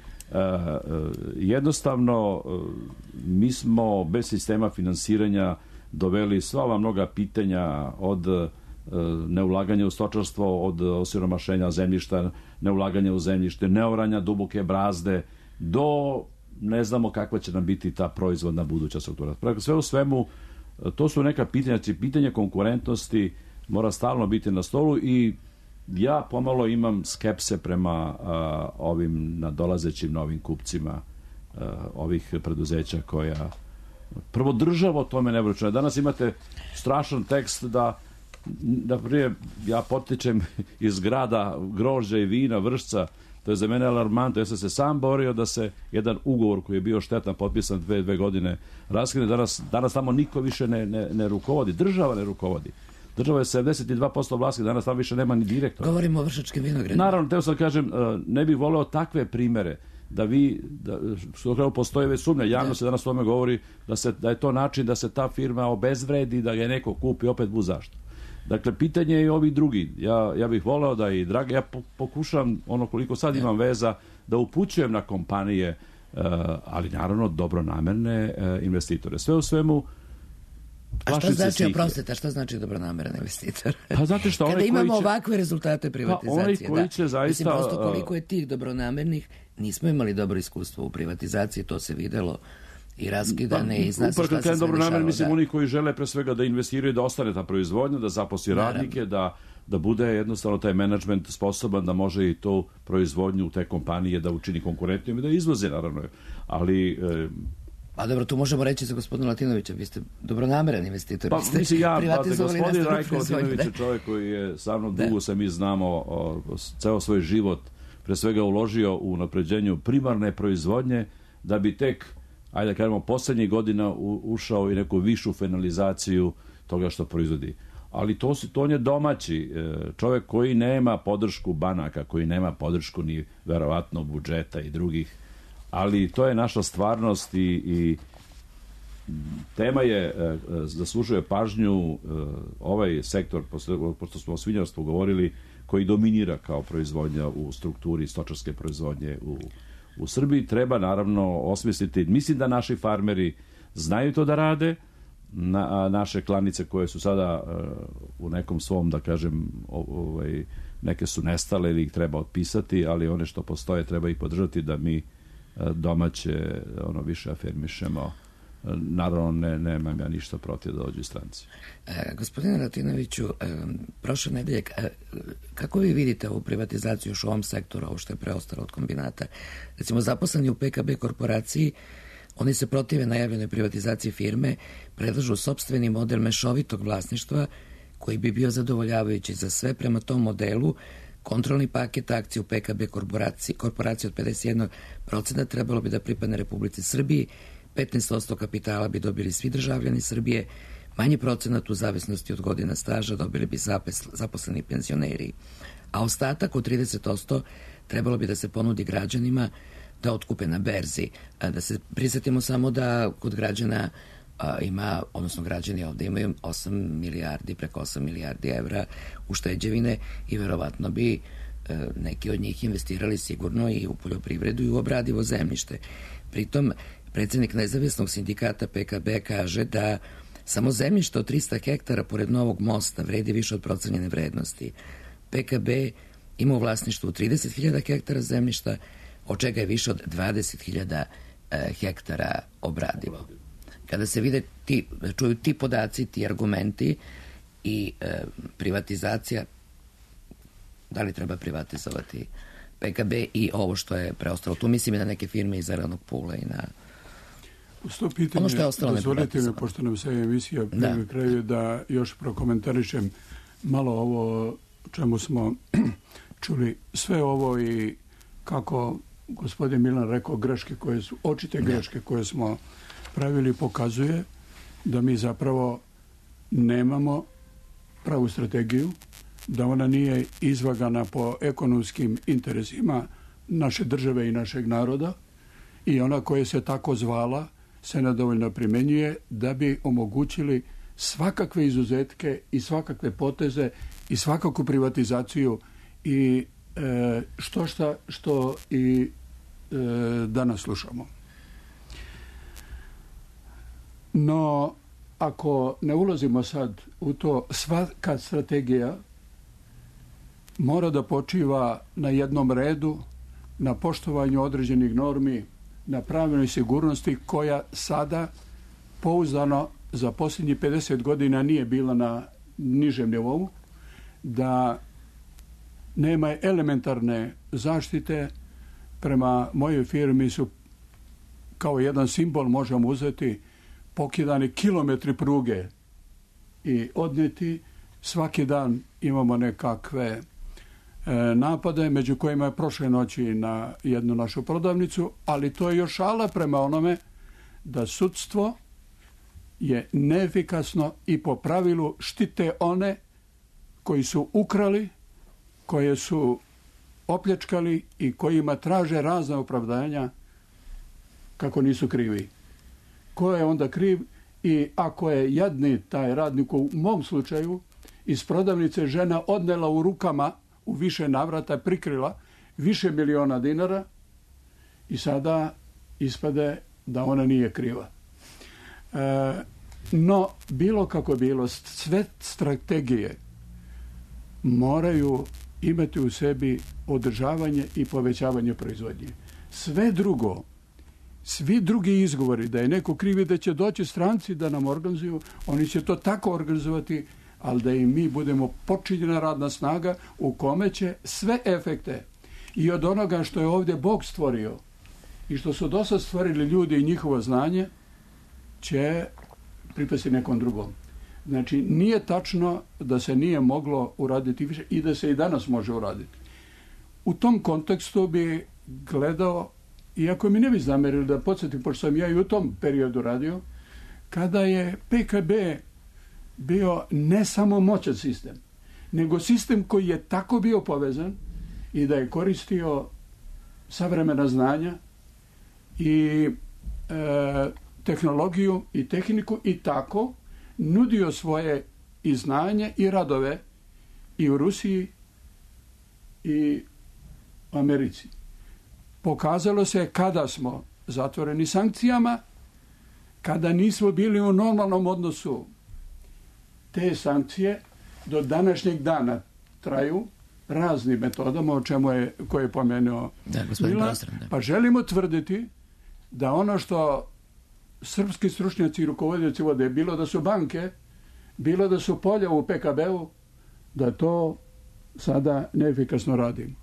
jednostavno mi smo bez sistema finansiranja doveli sva ova mnoga pitanja od neulaganja u stočarstvo, od osiromašenja zemljišta, neulaganja u zemljište, neoranja duboke brazde, do ne znamo kakva će nam biti ta proizvodna buduća struktura. Sve u svemu, to su neka pitanja, pitanje konkurentnosti mora stalno biti na stolu i ja pomalo imam skepse prema ovim nadolazećim novim kupcima ovih preduzeća koja prvo država o tome ne vraća. Danas imate strašan tekst da prije ja potičem iz grada grožđa i vina Vršca. To je za mene alarmantno. Ja sam se sam borio da se jedan ugovor koji je bio štetan potpisan 2 godine raskine. Danas tamo niko više ne rukovodi. Država ne rukovodi. Država je 72% vlasnika, danas tamo više nema ni direktora.
Govorimo o Vršačkim vinogradima.
Naravno, teo sam kažem, ne bih voleo takve primere što postoje već sumnja. Javno se danas o tome govori da je to način da se ta firma obezvredi, da je neko kupi opet zašto. Dakle, pitanje je i ovi drugi. Ja bih voleo da i dragi, ja pokušam koliko sad imam veza da upućujem na kompanije, ali naravno dobronamerne investitore. Sve u svemu,
a šta znači, oprostite, šta znači dobronameran investitor?
Pa znate šta,
kada imamo ovakve rezultate privatizacije,
zaista,
mislim, prosto koliko je tih dobronamernih, nismo imali dobro iskustvo u privatizaciji, to se videlo i raskidane i zna se šta se sve dešava.
Mislim, oni koji žele pre svega da investiraju, da ostane ta proizvodnja, da zaposli radnike, da bude jednostavno taj menadžment sposoban da može i tu proizvodnju u te kompanije da učini konkurentnijom i da izvoze, naravno. Ali
pa dobro, tu možemo reći za gospodina Latinovića, vi ste dobronameran investitor.
Pa mislim gospodin Rajko Latinović je čovjek koji je sa mnom dugo se mi znamo ceo svoj život pre svega uložio u unapređenju primarne proizvodnje da bi tek, ajde da kažemo, poslednjih godina ušao i neku višu finalizaciju toga što proizvodi. Ali to je domaći čovjek koji nema podršku banaka, koji nema podršku ni verovatno budžeta i drugih. Ali to je naša stvarnost i tema je, zaslužuje pažnju ovaj sektor, pošto smo o svinjarstvu govorili, koji dominira kao proizvodnja u strukturi stočarske proizvodnje u Srbiji. Treba naravno osmisliti, mislim da naši farmeri znaju to da rade, naše klanice koje su sada u nekom svom, da kažem, neke su nestale ili ih treba otpisati, ali one što postoje treba ih podržati da mi domaće više afirmišemo. Naravno, nemam ja ništa protiv da dođu stranci.
Gospodine Latinoviću, prošle nedelje, kako vi vidite ovu privatizaciju još u ovom sektoru, ovo što je preostalo od kombinata? Recimo, zaposleni u PKB korporaciji, oni se protive najavljenoj privatizaciji firme, predlažu sopstveni model mešovitog vlasništva koji bi bio zadovoljavajući za sve. Prema tom modelu kontrolni paket akcije u PKB korporaciji od 51% trebalo bi da pripadne Republici Srbiji, 15% kapitala bi dobili svi državljani Srbije, manji procenat u zavisnosti od godina staža dobili bi zaposleni penzioneri, a ostatak od 30% trebalo bi da se ponudi građanima da otkupe na berzi. Da se prisjetimo samo da kod građana ima, odnosno građani ovde imaju 8 milijardi, preko 8 milijardi evra ušteđevine i verovatno bi neki od njih investirali sigurno i u poljoprivredu i u obradivo zemljište. Pritom, predsjednik nezavisnog sindikata PKB kaže da samo zemljište od 300 hektara pored Novog mosta vredi više od procenjene vrednosti. PKB ima u vlasništvu 30.000 hektara zemljišta, od čega je više od 20.000 hektara obradivo. Kada se vide čuju ti podaci, ti argumenti i privatizacija, da li treba privatizovati PKB i ovo što je preostalo. Tu mislim i na neke firme iz Zelenog Pula i na...
Uz to pitanje, dozvolite mi, pošto nam se emisija prvi kraju, da još prokomentarišem malo ovo čemu smo čuli sve ovo i kako gospodin Milan rekao, očite greške koje smo pravili, pokazuje da mi zapravo nemamo pravu strategiju, da ona nije izvagana po ekonomskim interesima naše države i našeg naroda i ona koja se tako zvala se nedovoljno primenjuje da bi omogućili svakakve izuzetke i svakakve poteze i svakakvu privatizaciju i što i danas slušamo. No, ako ne ulazimo sad u to, svaka strategija mora da počiva na jednom redu, na poštovanju određenih normi, na pravnoj sigurnosti koja sada pouzdano za posljednjih 50 godina nije bila na nižem nivou, da nema elementarne zaštite. Prema mojoj firmi su kao jedan simbol, možemo uzeti, pokidani kilometri pruge i odnijeti. Svaki dan imamo nekakve napade, među kojima je prošle noći na jednu našu prodavnicu, ali to je još šala prema onome da sudstvo je neefikasno i po pravilu štite one koji su ukrali, koje su opljačkali i kojima traže razna opravdanja kako nisu krivi. Ko je onda kriv? I ako je jadni taj radnik, u mom slučaju, iz prodavnice žena odnela u rukama u više navrata, prikrila više miliona dinara i sada ispade da ona nije kriva. No, bilo kako bilo, sve strategije moraju imati u sebi održavanje i povećavanje proizvodnje. Sve drugo, svi drugi izgovori da je neko krivi, da će doći stranci da nam organizuju, oni će to tako organizovati, ali da i mi budemo počinjena radna snaga u kome će sve efekte i od onoga što je ovdje Bog stvorio i što su dosad stvorili ljudi i njihovo znanje će pripasti nekom drugom. Znači, nije tačno da se nije moglo uraditi više i da se i danas može uraditi. U tom kontekstu bi gledao, iako mi ne bi zamerili da podsjetim, pošto sam ja i u tom periodu radio, kada je PKB bio ne samo moćan sistem, nego sistem koji je tako bio povezan i da je koristio savremena znanja i tehnologiju i tehniku i tako nudio svoje i znanje i radove i u Rusiji i u Americi. Pokazalo se kada smo zatvoreni sankcijama, kada nismo bili u normalnom odnosu. Te sankcije do današnjeg dana traju raznim metodama, o čemu koje je pomenuo Milan, pa želimo tvrditi da ono što srpski stručnjaci i rukovodioci vode, bilo da su banke, bilo da su polja u PKB-u, da to sada neefikasno radimo.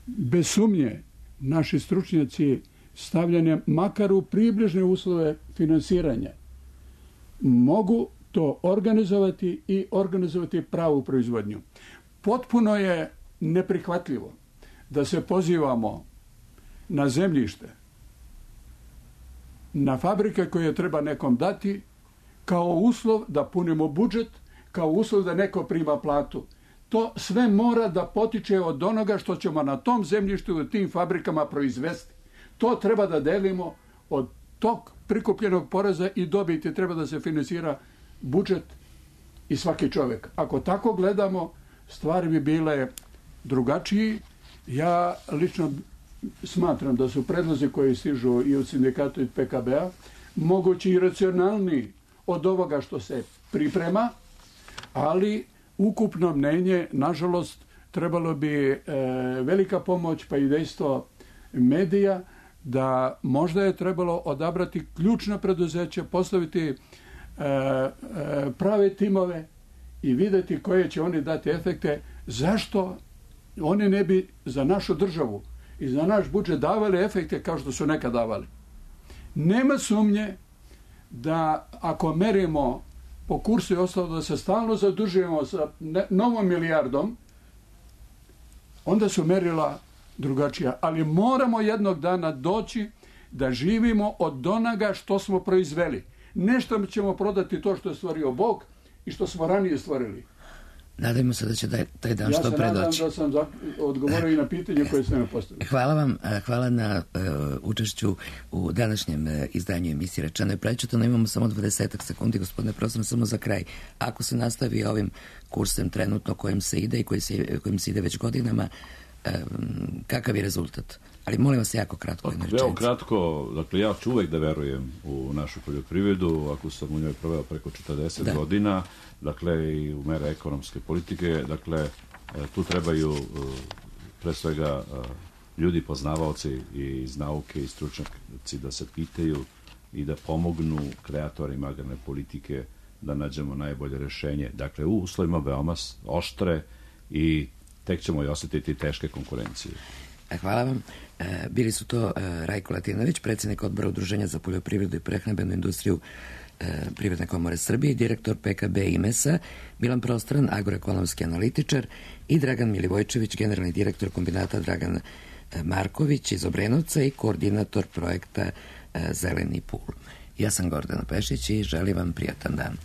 Bez sumnje, naši stručnjaci stavljanjem makar u približne uslove finansiranja mogu to organizovati i organizovati pravu proizvodnju. Potpuno je neprihvatljivo da se pozivamo na zemljište, na fabrike koje treba nekom dati kao uslov da punimo budžet, kao uslov da neko prima platu. To sve mora da potiče od onoga što ćemo na tom zemljištu u tim fabrikama proizvesti. To treba da delimo od tog prikupljenog poreza i dobiti, treba da se finansira budžet i svaki čovjek. Ako tako gledamo, stvari bi bile drugačiji. Ja lično smatram da su predlozi koji stižu i od sindikata i PKB-a mogući i racionalniji od ovoga što se priprema, ali ukupno mnenje, nažalost, trebalo bi velika pomoć, pa i dejstvo medija, da možda je trebalo odabrati ključna preduzeća, postaviti prave timove i vidjeti koje će oni dati efekte. Zašto one ne bi za našu državu i za naš budžet davali efekte kao što su nekad davali. Nema sumnje da ako merimo po kursu i ostalo da se stalno zadužujemo sa novom milijardom, onda su merila drugačija. Ali moramo jednog dana doći da živimo od onoga što smo proizveli. Nešto ćemo prodati to što je stvorio Bog i što smo ranije stvorili.
Nadajmo se da će taj dan što pre doći.
Ja se nadam da sam odgovorio i na pitanje koje ste me postavili.
Hvala vam, hvala na učešću u današnjem izdanju emisije Rečeno je prečutano. Imamo samo 20 sekundi, gospodine profesor, samo za kraj. Ako se nastavi ovim kursem trenutno kojim se ide i kojim se ide već godinama, kakav je rezultat? Ali molim vas jako kratko.
Evo kratko, dakle ja ću uvek da verujem u našu poljoprivredu, ako sam u njoj proveo preko 40 godina, dakle i u mere ekonomske politike, dakle tu trebaju pre svega ljudi poznavaoci iz nauke i stručnjaci da se pitaju i da pomognu kreatorima agrarne politike da nađemo najbolje rešenje. Dakle, u uslovima veoma oštre i tek ćemo i osetiti teške konkurencije.
Hvala vam. Bili su to Rajko Latinović, predsjednik odbora Udruženja za poljoprivredu i prehrambenu industriju Privredne komore Srbije i direktor PKB IMES-a, Milan Prostran, agroekonomski analitičar i Dragan Milivojčević, generalni direktor kombinata Dragan Marković iz Obrenovca i koordinator projekta Zeleni pul. Ja sam Gordana Pešić i želim vam prijatan dan.